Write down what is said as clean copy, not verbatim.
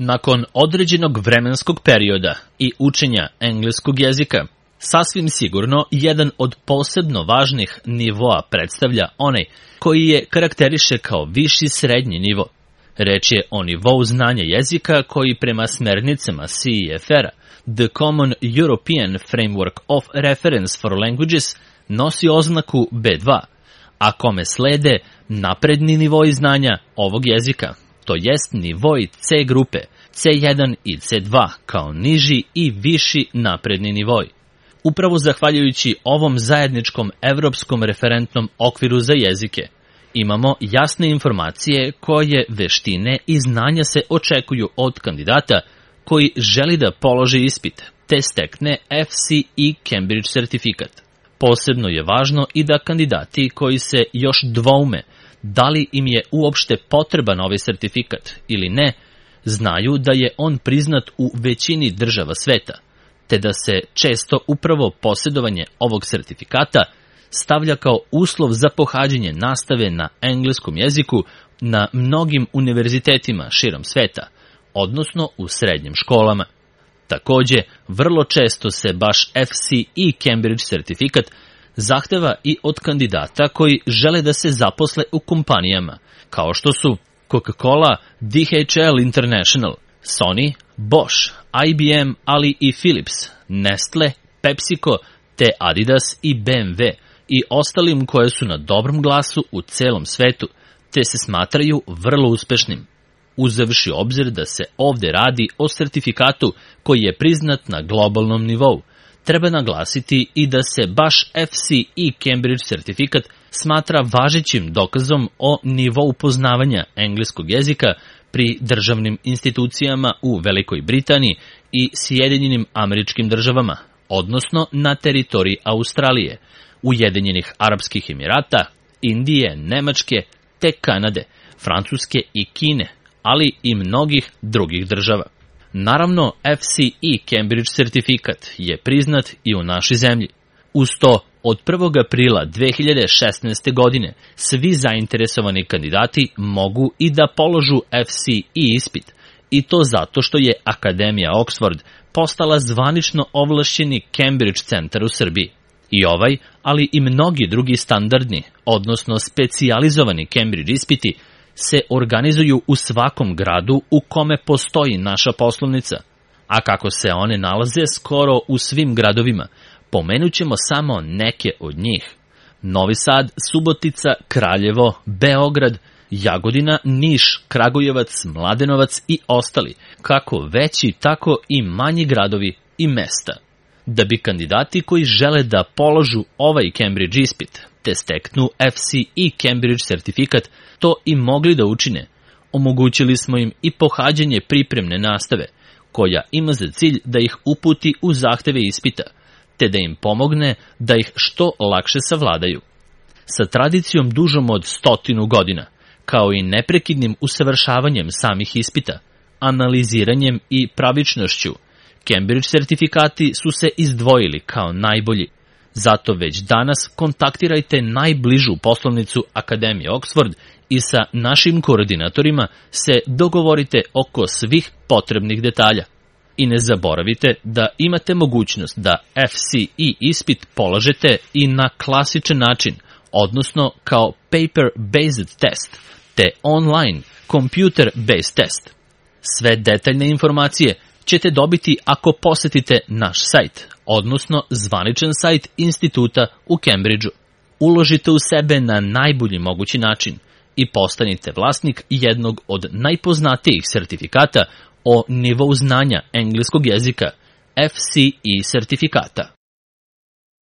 Nakon određenog vremenskog perioda i učenja engleskog jezika, sasvim sigurno jedan od posebno važnih nivoa predstavlja onaj koji je karakteriše kao viši srednji nivo. Reč je o nivou znanja jezika koji prema smernicama CEFR-a, The Common European Framework of Reference for Languages, nosi oznaku B2, a kome slede napredni nivoi znanja ovog jezika, to jest nivoi C grupe, C1 i C2 kao niži i viši napredni nivoi. Upravo zahvaljujući ovom zajedničkom evropskom referentnom okviru za jezike, imamo jasne informacije koje veštine i znanja se očekuju od kandidata koji želi da položi ispit, te stekne FCE Cambridge sertifikat. Posebno je važno i da kandidati koji se još dvoume da li im je uopšte potreban ovaj sertifikat ili ne, znaju da je on priznat u većini država sveta, te da se često upravo posjedovanje ovog sertifikata stavlja kao uslov za pohađanje nastave na engleskom jeziku na mnogim univerzitetima širom sveta, odnosno u srednjim školama. Takođe, vrlo često se baš FCE Cambridge sertifikat zahteva i od kandidata koji žele da se zaposle u kompanijama, kao što su Coca-Cola, DHL International, Sony, Bosch, IBM, ali i Philips, Nestle, PepsiCo, te Adidas i BMW i ostalim koje su na dobrom glasu u celom svetu, te se smatraju vrlo uspešnim. Uzevši obzir da se ovde radi o sertifikatu koji je priznat na globalnom nivou, treba naglasiti i da se baš FCE Cambridge sertifikat smatra važećim dokazom o nivou poznavanja engleskog jezika pri državnim institucijama u Velikoj Britaniji i Sjedinjenim Američkim Državama, odnosno na teritoriji Australije, Ujedinjenih Arapskih Emirata, Indije, Nemačke, te Kanade, Francuske i Kine, ali i mnogih drugih država. Naravno, FCE Cambridge sertifikat je priznat i u našoj zemlji. Uz to, od 1. aprila 2016. godine svi zainteresovani kandidati mogu i da položu FCE ispit, i to zato što je Akademija Oxford postala zvanično ovlašćeni Cambridge centar u Srbiji. I ovaj, ali i mnogi drugi standardni, odnosno specijalizovani Cambridge ispiti se organizuju u svakom gradu u kome postoji naša poslovnica, a kako se one nalaze skoro u svim gradovima, pomenut ćemo samo neke od njih: Novi Sad, Subotica, Kraljevo, Beograd, Jagodina, Niš, Kragujevac, Mladenovac i ostali, kako veći, tako i manji gradovi i mesta. Da bi kandidati koji žele da položu ovaj Cambridge ispit, te steknu FCE Cambridge sertifikat, to i mogli da učine, omogućili smo im i pohađanje pripremne nastave, koja ima za cilj da ih uputi u zahteve ispita, te da im pomogne da ih što lakše savladaju. Sa tradicijom dužom od 100 godina, kao i neprekidnim usavršavanjem samih ispita, analiziranjem i pravičnošću, Cambridge sertifikati su se izdvojili kao najbolji. Zato već danas kontaktirajte najbližu poslovnicu Akademije Oxford i sa našim koordinatorima se dogovorite oko svih potrebnih detalja. I ne zaboravite da imate mogućnost da FCE ispit polažete i na klasičan način, odnosno kao paper-based test, te online computer-based test. Sve detaljne informacije ćete dobiti ako posetite naš sajt, odnosno zvaničan sajt instituta u Cambridgeu. Uložite u sebe na najbolji mogući način i postanite vlasnik jednog od najpoznatijih sertifikata o nivou znanja engleskog jezika, FCE sertifikata.